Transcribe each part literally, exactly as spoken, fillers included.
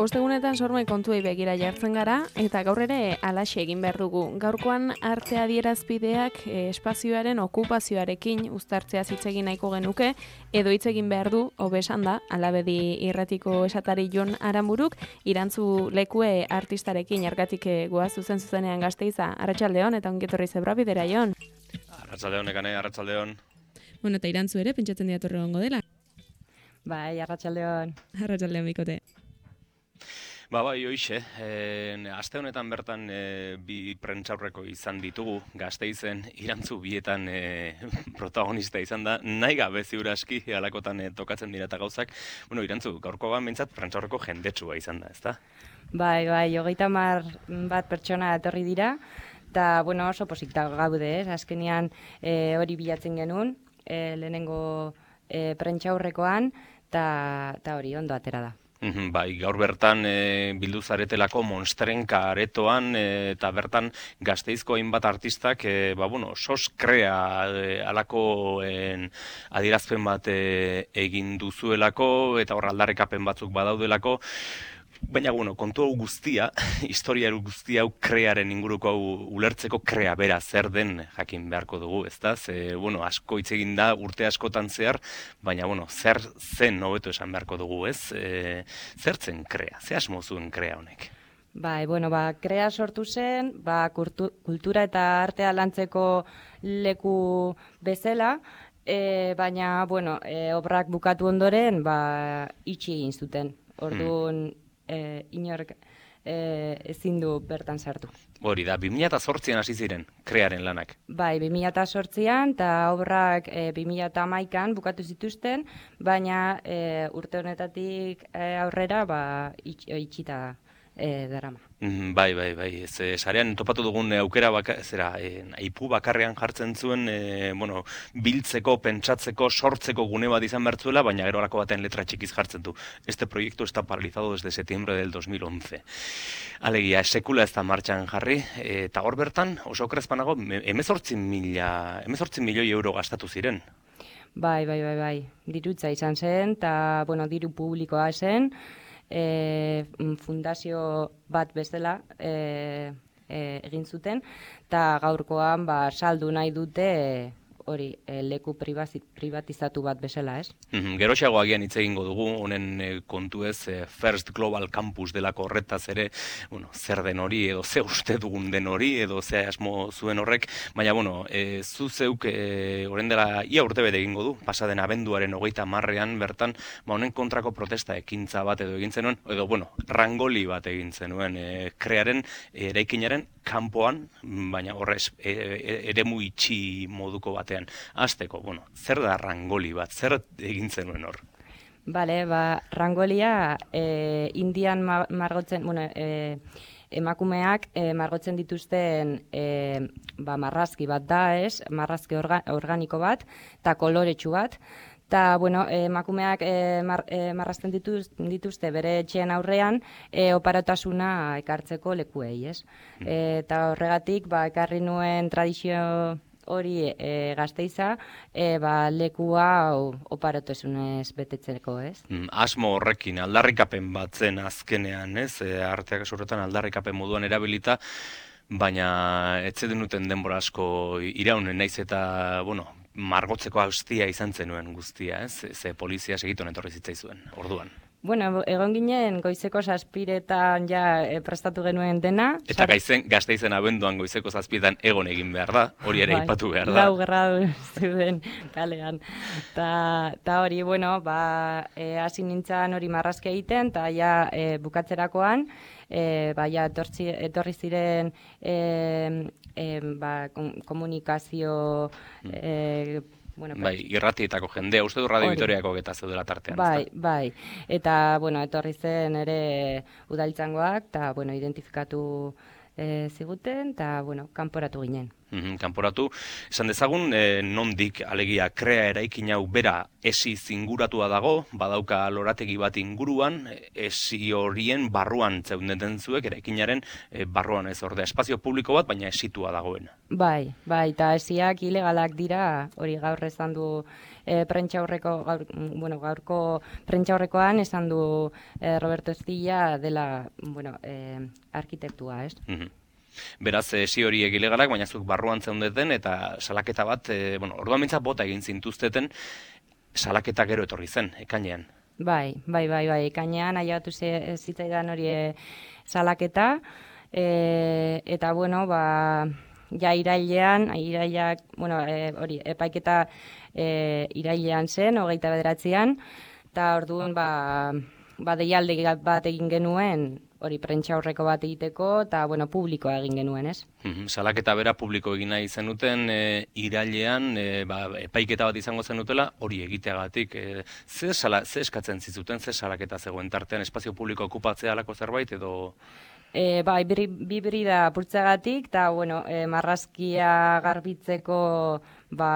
Ostegunetan sormai kontuei begira jartzen gara, eta gaur ere halaxe egin behar dugu. Gaurkoan arte adierazpideak eh, espazioaren okupazioarekin uztartzea hitz egin nahiko genuke, edo hitz egin behar du, hobe esan da, Alabedi irratiko esatari Jon Aramburuk, irantzu lekue artistarekin argatik goaz zuzen zuzenean Gasteiza. Arratsaldeon eta ongetorri zebra bidera, Jon. Arratsaldeon, ekane, arratsaldeon. Bueno, eta irantzu ere, pentsatzen diatorre gongo dela. Bai, arratsaldeon. Arratsaldeon, bikote. Ba, bai, hoixe, e, aste honetan bertan e, bi prentsaurreko izan ditugu, Gasteizen irantzu bietan e, protagonista izan da, nahi gabe ziur aski halakotan e, tokatzen dira eta gauzak. Bueno, irantzu, gaurko ban behintzat prentsaurreko jendetsua izan da, ezta? Bai, bai, hogeita hamar bat pertsona etorri dira, eta, bueno, oso posita gaude, ez? Azkenean e, hori bilatzen genuen, e, lehenengo e, prentsaurrekoan, eta hori ondo atera da. Bai, gaur bertan e, bildu zaretelako Monstrenka aretoan e, eta bertan Gasteizko hainbat artistak e, ba, bueno, sos krea e, alako en, adierazpen bat e, egin duzuelako eta hor aldarrikapen batzuk badaudelako. Baina, bueno, kontu hau guztia, historia guztia hau krearen inguruko hau ulertzeko krea bera zer den jakin beharko dugu, ezta? Ze, bueno, asko hitz egin da urte askotan zehar, baina, bueno, zer zen hobeto esan beharko dugu, ez? E, zer zen krea? Ze asmo zuen krea honek? Bai, bueno, ba, krea sortu zen, ba, kultu, kultura eta artea lantzeko leku bezala, e, baina, bueno, e, obrak bukatu ondoren, ba, itxi egin zuten. Orduan, hmm. E, inork e, ezin du bertan sartu. Hori da, bi mila zortzian hasi ziren krearen lanak. Bai, bi mila zortzian eta obrak e, bi mila hamaikan bukatu zituzten, baina e, urte honetatik e, aurrera ba, itx, itxita e, darama. Mm, bai, bai, bai. Ez, e, sarean topatu dugun aukera baka, zera, e, aipu bakarrean jartzen zuen, e, bueno, biltzeko, pentsatzeko, sortzeko gune bat izan bertzuela, baina gero alako baten letra txikiz jartzen du. Este proyecto está paralizado desde septiembre del dos mil once. Alegia, sekula ez da martxan jarri, e, eta hor bertan, oso okrezpanago, emezortzi mila, emezortzi milioi euro gastatu ziren. Bai, bai, bai, bai. Dirutza izan zen, eta, bueno, diru publikoa zen, E, fundazio bat bezala e, e, egin zuten, eta gaurkoan ba, saldu nahi dute e, hori e, leku privatizatu bat bezala, ez? Mm-hmm. Geroxeago agian hitz egingo dugu, honen e, kontu ez, e, First Global Campus delako horretaz ere, bueno, zer den hori, edo ze uste dugun den hori, edo ze asmo zuen horrek, baina, bueno, e, zu zeuk, e, orain dela, ia urte bete egingo du, pasaden abenduaren hogeita marrean bertan, ba, honen kontrako protesta ekintza bat edo egin zenuen, edo, bueno, rangoli bat egin zenuen, e, krearen, e, eraikinaren kanpoan, baina horrez, e, e, eremu itxi moduko batean. Azteko, bueno, zer da rangoli bat, zer egin zenuen hor? Bale, ba, rangolia e, indian ma, margotzen, bueno, e, emakumeak e, margotzen dituzten e, ba, marrazki bat da, ez? Marrazki orga, organiko bat, eta koloretsu bat. Eta, bueno, emakumeak e, mar, e, marrazten dituz, dituzte bere etxean aurrean e, oparotasuna ekartzeko lekuei, ez? Mm. E, eta horregatik, ba, ekarri nuen tradizio hori e, Gasteiza, e, ba, lekua oparotasunez betetzeko, ez? Mm, asmo horrekin, aldarrikapen bat zen azkenean, ez? E, arteak esurretan aldarrikapen moduan erabilita, baina ez denuten denbora asko iraunen naiz eta, bueno, margotzeko austia izan zenuen guztia, ez? Ze polizia segiton etorri zitzaizuen, orduan. Bueno, egon ginen goizeko zazpiretan ja e, prestatu genuen dena. Eta gaizen, Gasteizen abenduan goizeko zazpiretan egon egin behar da, hori ere aipatu behar da. Lau gerra zeuden kalean. Ta hori, bueno, ba, e, hasi nintzen hori marrazke egiten, eta ja e, bukatzerakoan, e, ba, ja etortzi, etorri ziren e, e, ba, komunikazio e, Bueno, bai, irratietako jendea, uste du Radio Vitoriako eta zeudela tartean. Bai, bai. Eta, bueno, etorri zen ere udaltzangoak, eta, bueno, identifikatu e, ziguten, eta, bueno, kanporatu ginen. Mhm, kanporatu, esan dezagun, e, nondik alegia krea eraikin hau bera esi zinguratua dago, badauka lorategi bat inguruan, esi horien barruan zeundeten zuek, eraikinaren e, barruan ez ordea, espazio publiko bat, baina esitua dagoen. Bai, bai, eta esiak ilegalak dira, hori gaur esan du e, prentxaurreko, gaur, bueno, gaurko prentxaurrekoan esan du e, Roberto Estilla dela, bueno, e, arkitektua, ez? Mhm. Beraz, esi horiek ilegalak, baina zuk barruan zeundeten, eta salaketa bat, e, bueno, orduan mintzat bota egin zintuzteten, salaketa gero etorri zen, ekainean. Bai, bai, bai, bai, ekainean ailegatu zitzaidan hori e, salaketa, e, eta, bueno, ba, ja irailean, irailak, bueno, e, hori, epaiketa e, irailean zen, hogeita bederatzean, eta orduan, ba, ba deialdi bat egin genuen, hori prentxaurreko bat egiteko, eta, bueno, publikoa egin genuen, ez? Mhm, salaketa bera publiko egin nahi zenuten, e, irailean, e, ba, epaiketa bat izango zenutela, hori egiteagatik. E, ze, sala, ze eskatzen zizuten, ze salaketa zegoen tartean, espazio publiko okupatzea alako zerbait, edo... E, bai, bi brida apurtzeagatik, eta, bueno, e, marrazkia garbitzeko, ba,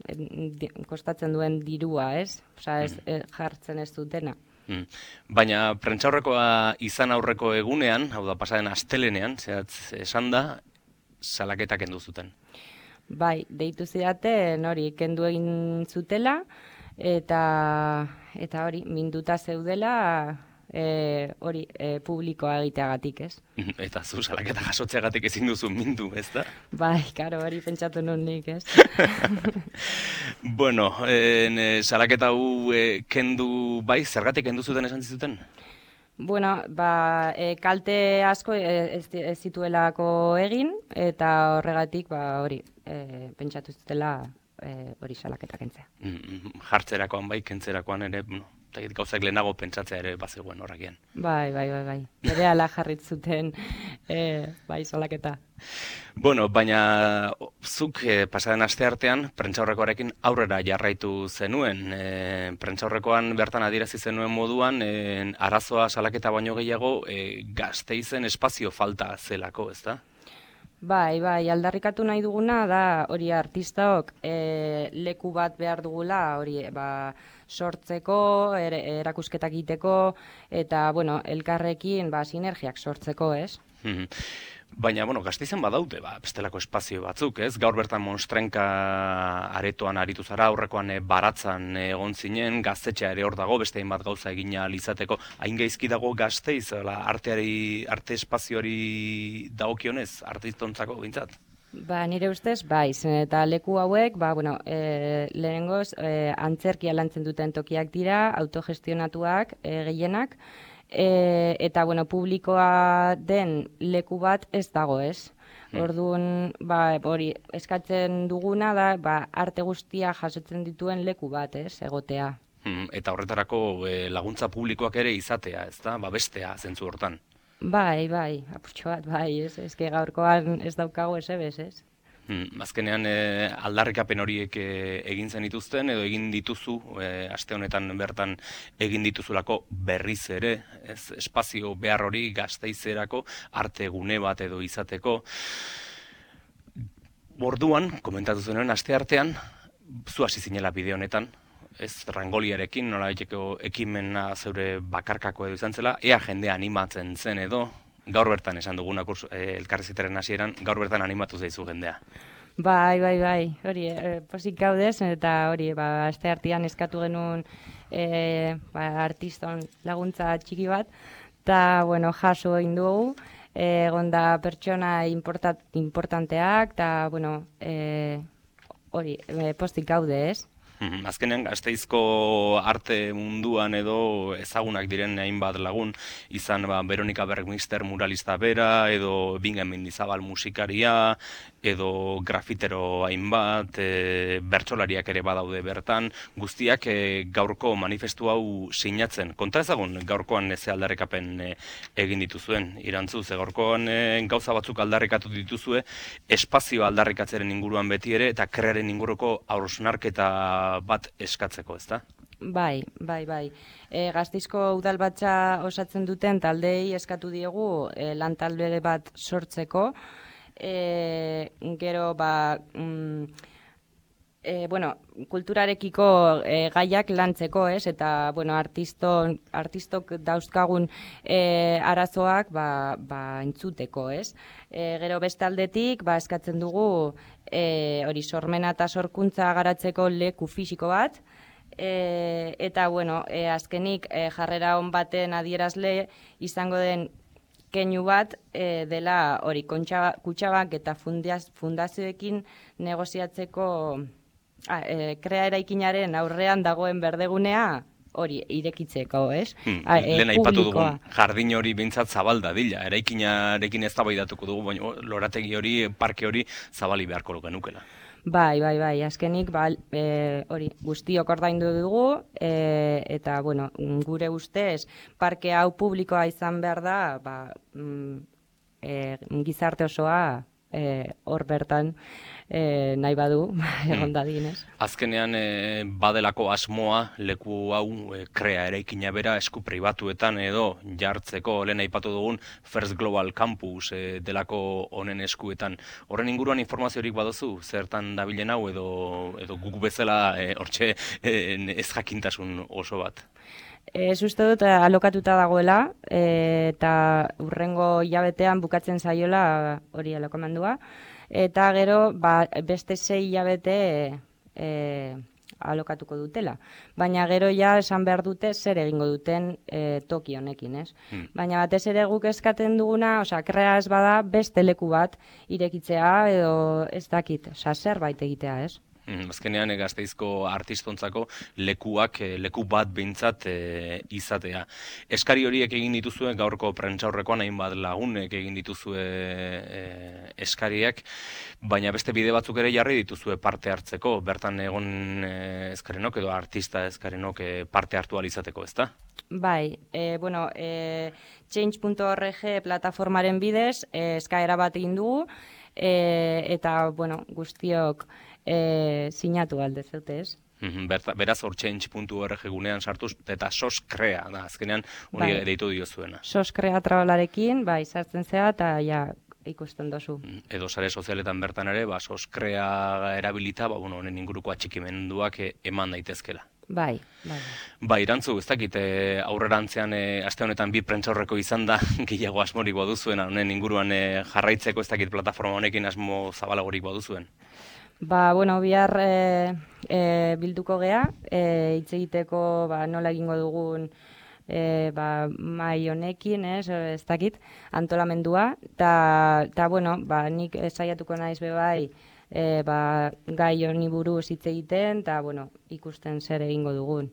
e, kostatzen duen dirua, ez? Osa, ez, e, jartzen ez dutena. Mm. Baina prentxaurrekoa izan aurreko egunean, hau da pasaren astelenean, zehatz esan da, salaketa kendu zuten. Bai, deitu zidaten hori kendu egin zutela, eta eta hori minduta zeudela e, hori e, publikoa egiteagatik, ez? Eta zu salaketa jasotzeagatik ezin duzu mindu, ez da? Bai, karo, hori pentsatu nun nik, ez? Bueno, en, salaketa hau e, kendu, bai, zergatik kendu zuten esan zizuten? Bueno, ba, e, kalte asko ez, ez zituelako egin, eta horregatik, ba, hori, e, pentsatu zutela e, hori salaketa kentzea. Jartzerakoan bai, kentzerakoan ere, no, gauzak lehenago pentsatzea ere bazegoen horrekian. Bai, bai, bai, bai. Bere ala jarrit zuten e, bai salaketa. Bueno, baina zuk e, pasaren aste artean prentxaurrekoarekin aurrera jarraitu zenuen. E, prentxaurrekoan bertan adierazi zenuen moduan, e, arazoa salaketa baino gehiago e, Gasteizen espazio falta zelako, ez da? Bai, bai, aldarrikatu nahi duguna da hori artistaok e, leku bat behar dugula, hori ba, sortzeko, er, erakusketak egiteko, eta, bueno, elkarrekin ba, sinergiak sortzeko, ez? Baina, bueno, Gasteizen badaude, ba, bestelako espazio batzuk, ez? Gaur bertan Monstrenka aretoan aritu zara, aurrekoan e, baratzan e, egon zinen, gaztetxea ere hor dago, beste hainbat gauza egina alizateko. Hain gaizki dago Gasteiz, ala, arteari, arte espazioari dagokionez, artistontzako bintzat? Ba, nire ustez, bai, zen eta leku hauek, ba, bueno, e, lehenengoz, e, antzerkia lantzen duten tokiak dira, autogestionatuak, e, gehienak, E, eta, bueno, publikoa den leku bat ez dago, ez? Orduan, ba, hori, eskatzen duguna da, ba, arte guztia jasotzen dituen leku bat, ez, egotea. Eta horretarako e, laguntza publikoak ere izatea, ez da? Ba, bestea, zentzu hortan. Bai, bai, apurtxo bat, bai, ez? Ez que gaurkoan ez daukago ez ebez, ez? Hmm, azkenean e, aldarrikapen horiek e, egin zen dituzten edo egin dituzu, e, aste honetan bertan egin dituzulako berriz ere, ez, espazio behar hori Gasteizerako arte gune bat edo izateko. Orduan, komentatu zenuen aste artean, zu hasi zinela bideo honetan, ez Rangoliarekin, nola egiteko ekimena zeure bakarkako edo izan zela, ea jendea animatzen zen edo, gaur bertan esan duguna kursu, e, elkarrizketaren hasieran, gaur bertan animatu zaizu jendea. Bai, bai, bai, hori, e, posik gaudez, eta hori, ba, aste artean eskatu genuen e, ba, artiston laguntza txiki bat, eta, bueno, jaso egin dugu, egon da pertsona importat, importanteak, eta, bueno, e, hori, e, postik gaude, ez? Azkenean Gasteizko arte munduan edo ezagunak diren hainbat lagun, izan ba, Veronika Bergmister muralista bera, edo Bingen Mendizabal musikaria, edo grafitero hainbat, e, bertsolariak ere badaude bertan, guztiak e, gaurko manifestu hau sinatzen. Konta ezagun gaurkoan ze aldarrikapen e, egin dituzuen, irantzu, ze gaurkoan e, gauza batzuk aldarrikatu dituzue, espazio aldarrikatzeren inguruan beti ere, eta krearen inguruko hausnarketa bat eskatzeko, ezta? Bai, bai, bai. E, Gasteizko udalbatza osatzen duten taldeei eskatu diegu e, lan talde bat sortzeko, e, gero ba, mm, e, bueno, kulturarekiko e, gaiak lantzeko, ez? Eta, bueno, artiston, artistok dauzkagun e, arazoak ba, ba, entzuteko, ez? E, gero beste aldetik, ba, eskatzen dugu e, hori sormena eta sorkuntza garatzeko leku fisiko bat, e, eta, bueno, e, azkenik e, jarrera on baten adierazle izango den keinu bat e, dela hori Kutxabank eta fundiaz, fundazioekin negoziatzeko a, e, krea eraikinaren aurrean dagoen berdegunea hori irekitzeko, ez? Hmm, A, e, lehen aipatu publikoa. dugun jardin hori behintzat zabal dadila, eraikinarekin eztabaidatuko dugu, baina lorategi hori, parke hori zabali beharko genukela. Bai, bai, bai, azkenik ba, e, hori guztiok ordaindu dugu e, eta bueno, gure ustez parke hau publikoa izan behar da, ba, mm, e, gizarte osoa e, hor bertan e, nahi badu egon dadin, ez? Azkenean e, badelako asmoa leku hau e, krea eraikina bera esku pribatuetan edo jartzeko lehen aipatu dugun First Global Campus e, delako honen eskuetan. Horren inguruan informaziorik baduzu, zertan dabilen hau edo, edo guk bezala e, hortxe e, ez jakintasun oso bat? Ez uste dut alokatuta dagoela e, eta hurrengo hilabetean bukatzen zaiola hori alokamendua. Eta gero ba, beste sei hilabete e, alokatuko dutela. Baina gero ja esan behar dute zer egingo duten e, toki honekin, ez? Hmm. Baina batez ere guk eskatzen duguna, osea, krea ez bada beste leku bat irekitzea edo ez dakit, osea, zerbait egitea, ez? Azkenean Gasteizko artistontzako lekuak, leku bat behintzat e, izatea. Eskari horiek egin dituzue gaurko prentsaurrekoan hainbat lagunek egin dituzue e, eskariak, baina beste bide batzuk ere jarri dituzue parte hartzeko, bertan egon e, eskarenok edo artista eskarenok e, parte hartu ahal izateko, ezta? Bai, e, bueno, e, change punto org plataformaren bidez e, eskaera bat egin dugu, e, eta, bueno, guztiok E, sinatu alde zeute, ez? Berta, beraz hor change punto org gunean sartuz, eta sos krea da, azkenean hori bai, deitu diozuena. Sos krea trabalarekin, bai, sartzen zea, eta ja, ikusten dozu. Edo sare sozialetan bertan ere, ba, sos krea erabilita, ba, bueno, honen inguruko atxikimenduak eman daitezkela. Bai, bai. Ba, irantzu, ez dakit, e, aurrerantzean e, aste honetan bi prentsaurreko izan da, gehiago asmorik baduzuen, honen inguruan e, jarraitzeko ez dakit plataforma honekin asmo zabalagorik baduzuen. Ba, bueno, bihar e, e, bilduko gea, e, hitz egiteko ba, nola egingo dugun e, ba, mai honekin, ez, ez dakit, antolamendua, eta, bueno, ba, nik saiatuko naiz bebai, e, ba, gai honi buruz hitz egiten, eta, bueno, ikusten zer egingo dugun.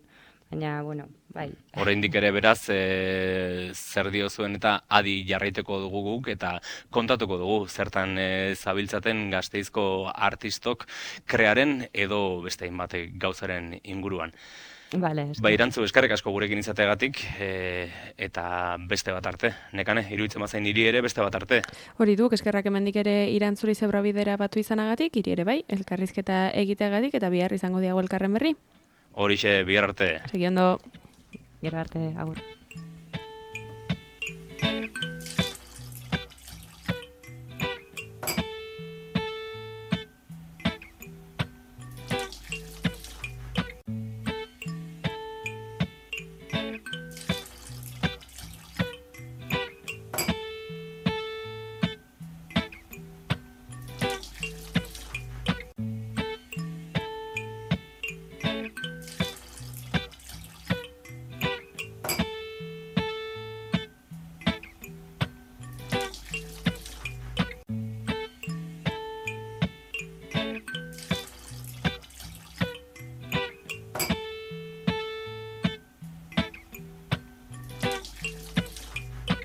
Baina, bueno, bai. Oraindik ere beraz, e, zer diozuen eta adi jarraiteko dugu guk, eta kontatuko dugu, zertan e, zabiltzaten Gasteizko artistok krearen edo beste hainbat gauzaren inguruan. Vale, ba, irantzu, eskerrik asko gurekin izateagatik, e, eta beste bat arte. Nekane, iruditzen bazain hiri ere beste bat arte. Hori duk, eskerrak emendik ere irantzuri zebra bidera batu izanagatik, hiri ere bai, elkarrizketa egiteagatik, eta bihar izango diago elkarren berri. Horixe, bihar arte. Segi ondo. Gero arte, agur.